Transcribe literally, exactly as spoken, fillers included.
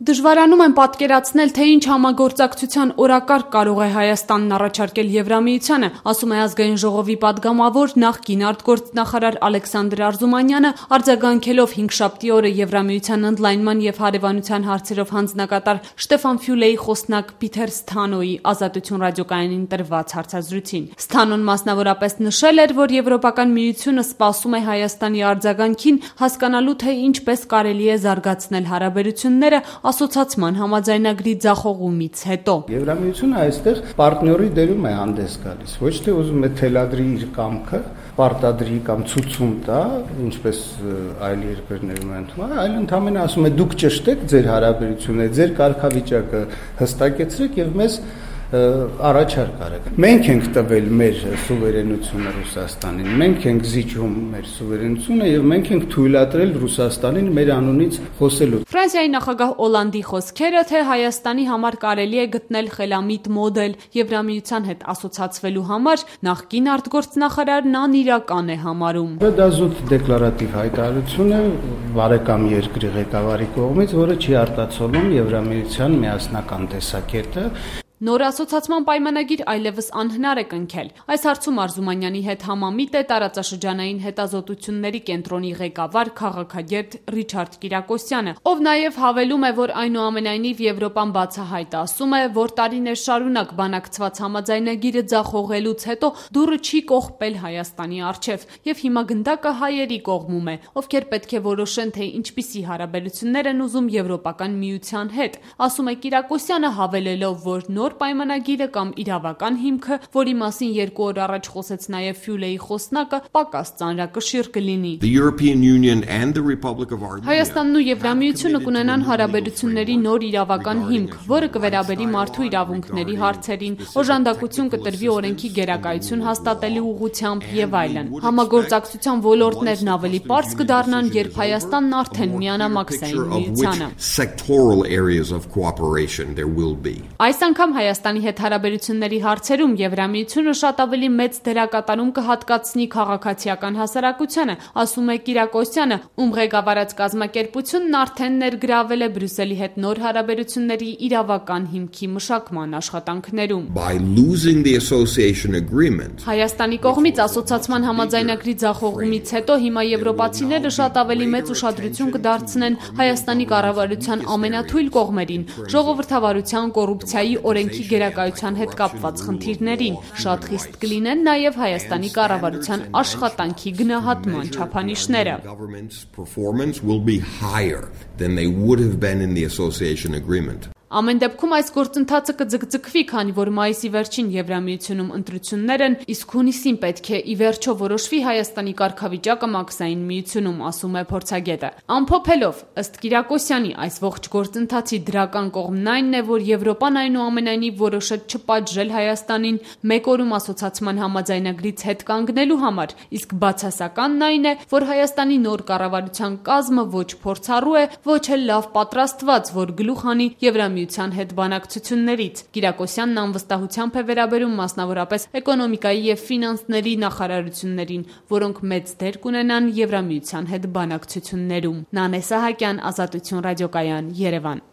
Դժվարանում են պատկերացնել, թե ինչ համագործակցության օրակարգ կարող է Հայաստանն առաջարկել Եվրամիությանը, ասում է Ազգային ժողովի պատգամավոր նախկին արտգործնախարար Ալեքսանդր Արզումանյանը, արձագանքելով հինգշաբթի օրը Եվրամիության ընդլայնման և հարևանության հարցերով հանձնակատար Շտեֆան Ֆյուլեի խոսնակ Պիթեր Սթանոյի Ազատություն ռադիոկայանին տրված հարցազրույցին։ Սթանոն մասնավորապես նշել էր, որ Եվրոպական միությունը սպասում է Հայաստանի արձագանքին, հասկանալու թե ինչպես կարելի է զարգացնել հարաբերությունները ասոցացման համաձայնագրի ձախողումից հետո։ Եվրամիությունը այստեղ պարտների դերում է հանդես գալիս, ոչ թե ուզում է թելադրի իր կամքը, պարտադրի կամ ցուցում տա, ինչպես այլ երկրներում են թվում, այլ ընդհանրապես ասում է դուք ճշտեք ձեր հարաբերությունները, ձեր կարգավիճակը հստակեցրեք եւ մեզ առաջարկ արեք։ Մենք ենք տվել մեր սուվերենությունը Ռուսաստանին, մենք ենք զիջում մեր սուվերենությունը եւ մենք ենք թույլատրել Ռուսաստանին մեր անունից խոսելու։ Ֆրանսիայի նախագահ Օլանդի խոսքերը, թե Հայաստանի համար կարելի է գտնել խելամիտ մոդել Եվրամիության հետ ասոցացվելու համար, նախկին արտգործնախարարն անիրական է համարում։ Դա զուտ դեկլարատիվ հայտարարություն է բարեկամ երկրի ղեկավարի կողմից, որը չի արտացոլում Եվրամիության միասնական տեսակետը։ Նոր ասոցացման պայմանագիր այլևս անհնար է կնքել։ Այս հարցում Արզումանյանի հետ համամիտ է տարածաշրջանային հետազոտությունների կենտրոնի ղեկավար քաղաքագետ Ռիչարդ Կիրակոսյանը, ով նաև հավելում է, որ այնուամենայնիվ Եվրոպան բացահայտ ասում է, որ տարիներ շարունակ բանակցված համաձայնագիրը ձախողելուց հետո դուռը չի կողպել Հայաստանի առջև, եւ հիմա գնդակը հայերի կողմում է, ովքեր պետք է որոշեն, թե ինչպիսի հարաբերություններ են ուզում Եվրոպական միության հետ, ասում է Կիրակոսյանը, հավելելով, որ նոր պայմանագիրը կամ իրավական հիմքը, որի մասին երկու օր առաջ խոսեց նաև Ֆյուլեի խոսնակը, պակաս ծանրակշիռ կլինի։ Հայաստանն ու Եվրամիությունը կունենան հարաբերությունների նոր իրավական հիմք, որը կվերաբերի մարդու իրավունքների հարցերին, օժանդակություն կտրվի օրենքի գերակայություն հաստատելու ուղղությամբ եւ այլն։ Համագործակցության ոլորտներն ավելի պարզ կդառնան, երբ Հայաստանն արդեն միանա մաքսային միությանը։ Այս անգամ Հայաստանի հետ հարաբերությունների հարցերում Եվրամիությունը շատ ավելի մեծ դերակատարում կհատկացնի քաղաքացիական հասարակությանը, ասում է Կիրակոսյանը, ում ղեկավարած կազմակերպությունն արդեն ներգրավել է Բրյուսելի հետ նոր հարաբերությունների իրավական հիմքի մշակման աշխատանքներում։ Հայաստանի կողմից ասոցացման համաձայնագրի ձախողումից հետո հիմա եվրոպացիները շատ ավելի մեծ ուշադրություն կդարձնեն Հայաստանի կառավարության ամենաթույլ կողմերին՝ ժողովրդավարության, կոռուպցիայի, օրենքի գերակայության հետ կապված խնդիրներին, շատ խիստ կլինեն նաև Հայաստանի կառավարության աշխատանքի գնահատման չափանիշները։ Ամեն դեպքում այս գործընթացը կձգձգվի, քանի որ մայիսի վերջին Եվրամիությունում ընտրություններ են, իսկ հունիսին պետք է ի վերջո որոշվի Հայաստանի կարգավիճակը մաքսային միությունում, ասում է փորձագետը։ Ամփոփելով, ըստ Կիրակոսյանի, այս ողջ գործընթացի դրական կողմն այն է, որ Եվրոպան այնուամենայնիվ որոշեց չպատժել Հայաստանին մեկ օրում ասոցացման համաձայնագրից հետ կանգնելու համար, իսկ բացասականն այն է, որ Հայաստանի նոր կառավարության կազմը ոչ փորձառու է, ոչ էլ լավ պատրաստված, որ գլուխ հանի Եվրամիության հետ բանակցություններից։ Կիրակոսյանն անվստահությամբ է վերաբերում մասնավորապես էկոնոմիկայի և ֆինանսների նախարարություններին, որոնք մեծ դեր կունենան Եվրամիության հետ բանակցություններում։ Նանե Սահակյան, Ազատություն ռադիոկայան, Երևան։